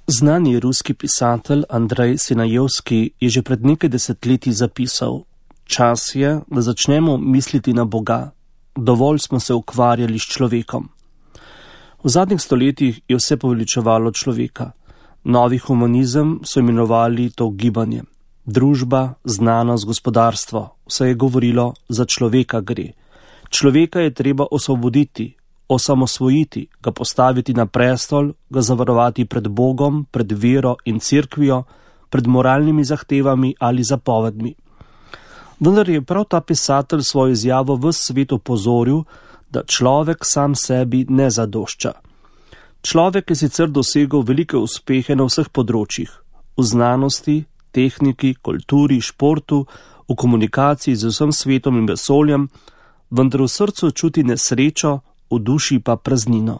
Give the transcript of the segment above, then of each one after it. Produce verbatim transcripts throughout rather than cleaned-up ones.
Znani ruski pisatelj Andrej Sinajevski je že pred nekaj desetletji zapisal: Čas je, da začnemo misliti na Boga. Dovolj smo se ukvarjali s človekom. V zadnjih stoletjih je vse poveličevalo človeka. Novi humanizem so imenovali to gibanje. Družba, znanost, gospodarstvo, vse je govorilo, za človeka gre. Človeka je treba osvoboditi, osamosvojiti, ga postaviti na prestol, ga zavarovati pred Bogom, pred vero in cerkvijo, pred moralnimi zahtevami ali zapovedmi. Vendar je prav ta pisatelj svojo izjavo ves svet opozoril, da človek sam sebi ne zadošča. Človek je sicer dosegel velike uspehe na vseh področjih, v znanosti, tehniki, kulturi, športu, v komunikaciji z vsem svetom in vesoljem, vendar v srcu čuti nesrečo, v duši pa praznino.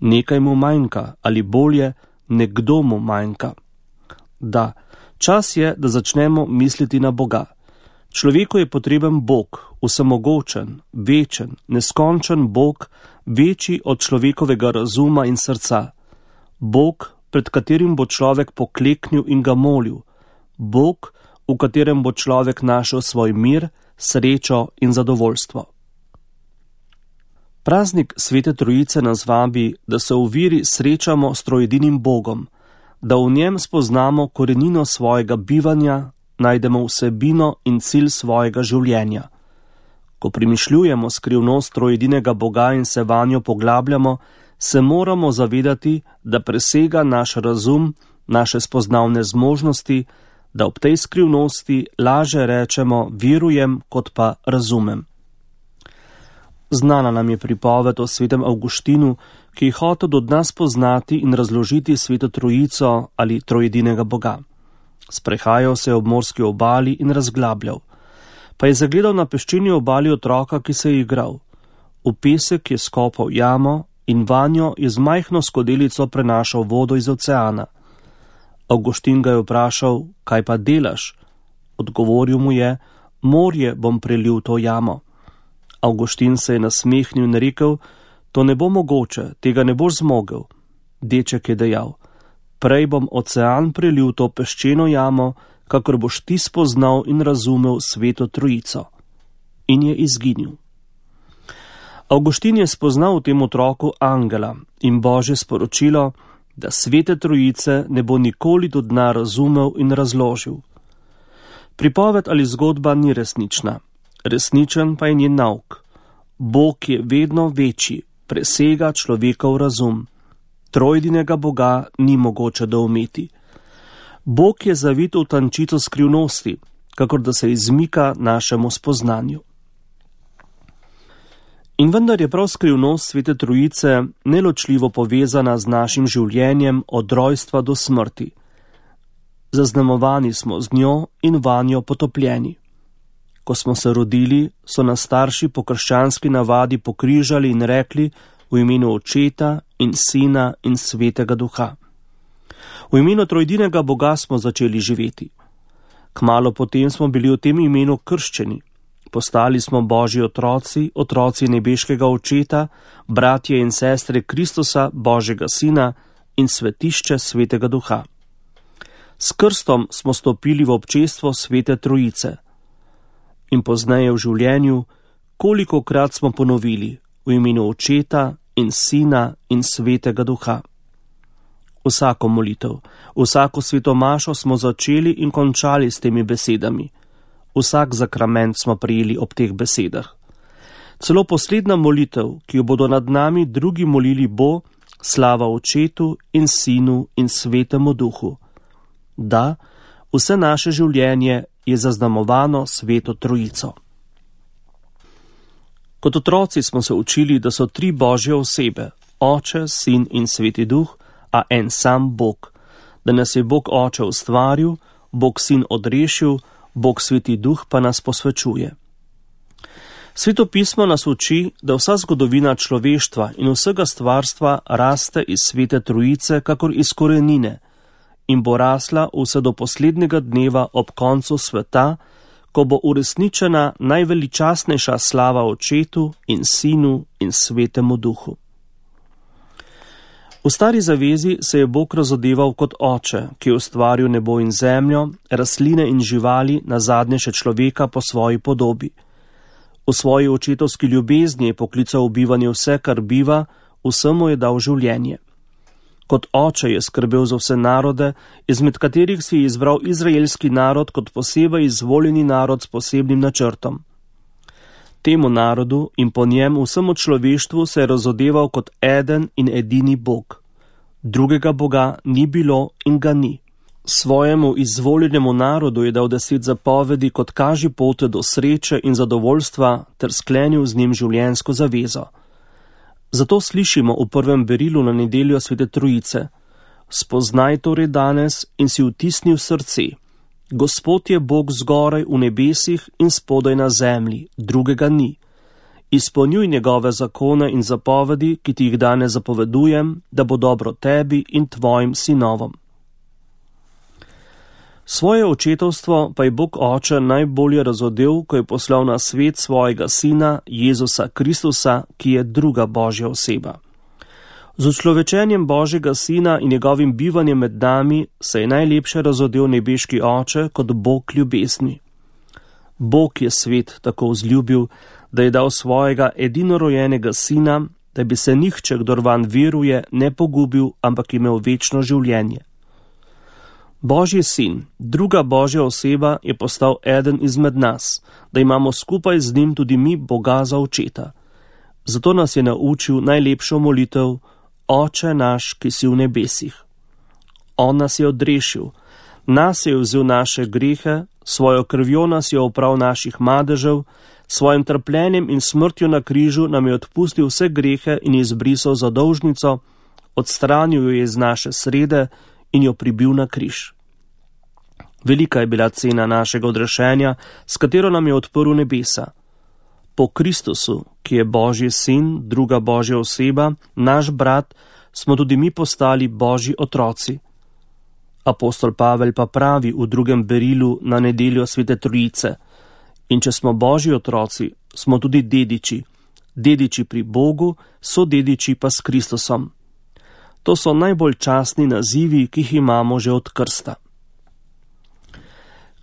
Nekaj mu manjka, ali bolje, nekdo mu manjka. Da, čas je, da začnemo misliti na Boga. Človeku je potreben Bog, vsemogočen, večen, neskončen Bog, večji od človekovega razuma in srca. Bog, pred katerim bo človek pokleknil in ga molil. Bog, v katerem bo človek našel svoj mir, srečo in zadovoljstvo. Praznik Svete Trojice nas vabi, da se v veri srečamo s troedinim Bogom, da v njem spoznamo korenino svojega bivanja, najdemo vsebino in cilj svojega življenja. Ko premišljujemo skrivnost troedinega Boga in se vanjo poglabljamo, se moramo zavedati, da presega naš razum, naše spoznavne zmožnosti, da ob tej skrivnosti laže rečemo verujem, kot pa razumem. Znana nam je pripoved o svetem Avguštinu, ki je hotel od nas poznati in razložiti Sveto Trojico ali troedinega Boga. Sprehajal se je ob morski obali in razglabljal. Pa je zagledal na peščeni obali otroka, ki se je igral. V pesek je skopal jamo in vanjo je z majhno skodelico prenašal vodo iz oceana. Avguštin ga je vprašal, kaj pa delaš? Odgovoril mu je, morje bom prelil to jamo. Avguštin se je nasmehnil in rekel, to ne bo mogoče, tega ne boš zmogel. Deček je dejal, prej bom ocean prelil to peščeno jamo, kakor boš ti spoznal in razumel Sveto Trojico. In je izginil. Avguštin je spoznal v tem otroku angela in Božje sporočilo, da Svete Trojice ne bo nikoli do dna razumel in razložil. Pripoved ali zgodba ni resnična, resničen pa je njen nauk. Bog je vedno večji, presega človekov razum. Trojedinega Boga ni mogoče doumeti. Bog je zavit v tančico skrivnosti, kakor da se izmika našemu spoznanju. In vendar je prav skrivnost Svete Trojice neločljivo povezana z našim življenjem od rojstva do smrti. Zaznamovani smo z njo in vanjo potopljeni. Ko smo se rodili, so nas starši po krščanski navadi pokrižali in rekli v imenu Očeta in Sina in Svetega Duha. V imenu trojedinega Boga smo začeli živeti. Kmalu potem smo bili v tem imenu krščeni. Postali smo Božji otroci, otroci nebeškega Očeta, bratje in sestre Kristusa, Božjega Sina in svetišče Svetega Duha. S krstom smo stopili v občestvo Svete Trojice. In pozneje v življenju, kolikokrat smo ponovili v imenu Očeta in Sina in Svetega Duha. Vsako molitev, vsako svetomašo smo začeli in končali s temi besedami. Vsak zakrament smo prijeli ob teh besedah. Celo poslednja molitev, ki jo bodo nad nami drugi molili, bo slava Očetu in Sinu in Svetemu Duhu. Da, vse naše življenje je zaznamovano Sveto Trojico. Kot otroci smo se učili, da so tri Božje osebe, Oče, Sin in Sveti Duh, a en sam Bog, da nas je Bog Oče ustvaril, Bog Sin odrešil, Bog Sveti Duh pa nas posvečuje. Sveto pismo nas uči, da vsa zgodovina človeštva in vsega stvarstva raste iz Svete Trojice kakor iz korenine in bo rasla vse do poslednjega dneva ob koncu sveta, ko bo uresničena najveličastnejša slava Očetu in Sinu in Svetemu Duhu. V stari zavezi se je Bog razodeval kot oče, ki je ustvaril nebo in zemljo, rastline in živali, nazadnje še človeka po svoji podobi. V svoji očetovski ljubezni je poklical v bivanje vse, kar biva, vsemu je dal življenje. Kot oče je skrbel za vse narode, izmed katerih si je izbral izraelski narod kot posebej izvoljeni narod s posebnim načrtom. Temu narodu in po njem vsemu človeštvu se je razodeval kot eden in edini Bog. Drugega Boga ni bilo in ga ni. Svojemu izvoljenemu narodu je dal deset zapovedi kot kaži pote do sreče in zadovoljstva ter sklenil z njim življenjsko zavezo. Zato slišimo v prvem berilu na nedeljo Svete Trojice: spoznaj torej danes in si vtisni v srce. Gospod je Bog zgoraj v nebesih in spodaj na zemlji, drugega ni. Izpolnjuj njegove zakone in zapovedi, ki ti jih danes zapovedujem, da bo dobro tebi in tvojim sinovom. Svoje očetovstvo pa je Bog Oče najbolje razodel, ko je poslal na svet svojega sina Jezusa Kristusa, ki je druga Božja oseba. Z učlovečenjem Božjega sina in njegovim bivanjem med nami se je najlepše razodel nebeški Oče kot Bog ljubezni. Bog je svet tako vzljubil, da je dal svojega edinorojenega sina, da bi se nihče, kdor vanj veruje, ne pogubil, ampak imel večno življenje. Božji sin, druga Božja oseba, je postal eden izmed nas, da imamo skupaj z njim tudi mi Boga za očeta. Zato nas je naučil najlepšo molitev: Oče naš, ki si v nebesih. On nas je odrešil, nas je vzel naše grehe, svojo krvjo nas je oprav naših madežev, svojim trpljenjem in smrtjo na križu nam je odpustil vse grehe in izbrisal zadolžnico, odstranil jo je iz naše srede in jo pribil na križ. Velika je bila cena našega odrešenja, s katero nam je odprl nebesa. Po Kristusu, ki je Božji sin, druga Božja oseba, naš brat, smo tudi mi postali Božji otroci. Apostol Pavel pa pravi v drugem berilu na nedeljo Svete Trojice: in če smo Božji otroci, smo tudi dediči, dediči pri Bogu, so dediči pa s Kristusom. To so najbolj častni nazivi, ki jih imamo že od krsta.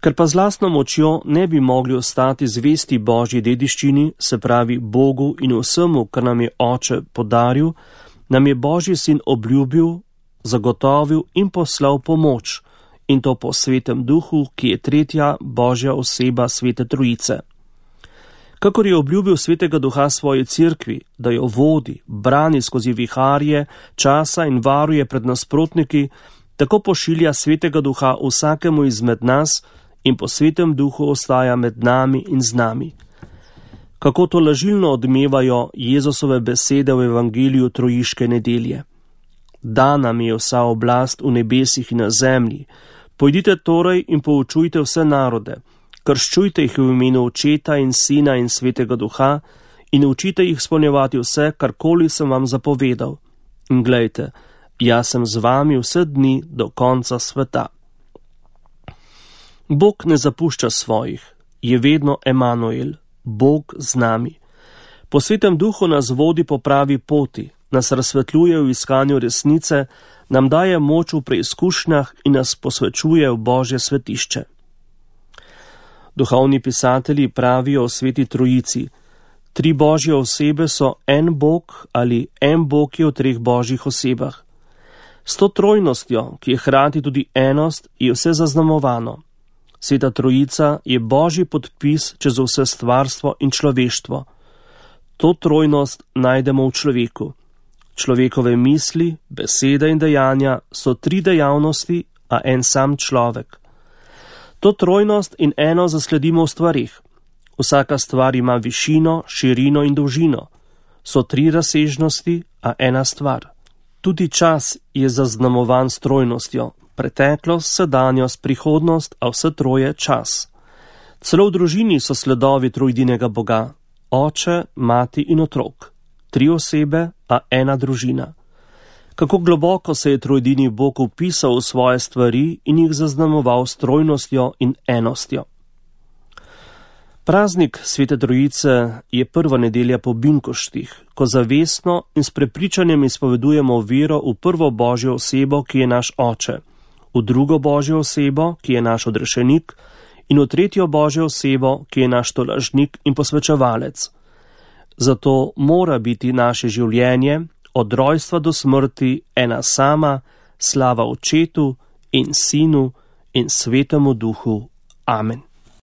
Ker pa z lastno močjo ne bi mogli ostati zvesti Božji dediščini, se pravi Bogu in vsemu, kar nam je Oče podaril, nam je Božji sin obljubil, zagotovil in poslal pomoč, in to po Svetem Duhu, ki je tretja Božja oseba Svete Trojice. Kakor je obljubil Svetega Duha svoji cerkvi, da jo vodi, brani skozi viharje časa in varuje pred nasprotniki, tako pošilja Svetega Duha vsakemu izmed nas in po Svetem Duhu ostaja med nami in z nami. Kako to lažilno odmevajo Jezusove besede v evangeliju trojiške nedelje. Dana mi je vsa oblast v nebesih in na zemlji. Pojdite torej in poučujte vse narode, krščujte jih v imenu Očeta in Sina in Svetega Duha in učite jih spolnjevati vse, karkoli sem vam zapovedal. In glejte, jaz sem z vami vse dni do konca sveta. Bog ne zapušča svojih, je vedno Emanuel, Bog z nami. Po Svetem Duhu nas vodi po pravi poti, nas razsvetljuje v iskanju resnice, nam daje moč v preizkušnjah in nas posvečuje v Božje svetišče. Duhovni pisatelji pravijo o Sveti Trojici: tri Božje osebe so en Bog ali en Bog je v treh Božjih osebah. S to trojnostjo, ki je hkrati tudi enost, je vse zaznamovano. Sveta Trojica je Božji podpis čez vse stvarstvo in človeštvo. To trojnost najdemo v človeku. Človekove misli, besede in dejanja so tri dejavnosti, a en sam človek. To trojnost in eno zasledimo v stvarih. Vsaka stvar ima višino, širino in dolžino. So tri razsežnosti, a ena stvar. Tudi čas je zaznamovan s trojnostjo. Preteklost, sedanjost, prihodnost, a vse troje čas. Celo v družini so sledovi trojdinega Boga: Oče, mati in otrok. Tri osebe, a ena družina. Kako globoko se je trojdini Bog vpisal v svoje stvari in jih zaznamoval s trojnostjo in enostjo. Praznik Svete Trojice je prva nedelja po binkoštih, ko zavestno in s prepričanjem izpovedujemo vero v prvo Božjo osebo, ki je naš Oče, v drugo Božjo osebo, ki je naš odrešenik, in v tretjo Božjo osebo, ki je naš tolažnik in posvečevalec. Zato mora biti naše življenje od rojstva do smrti ena sama, slava Očetu in Sinu in Svetemu Duhu. Amen.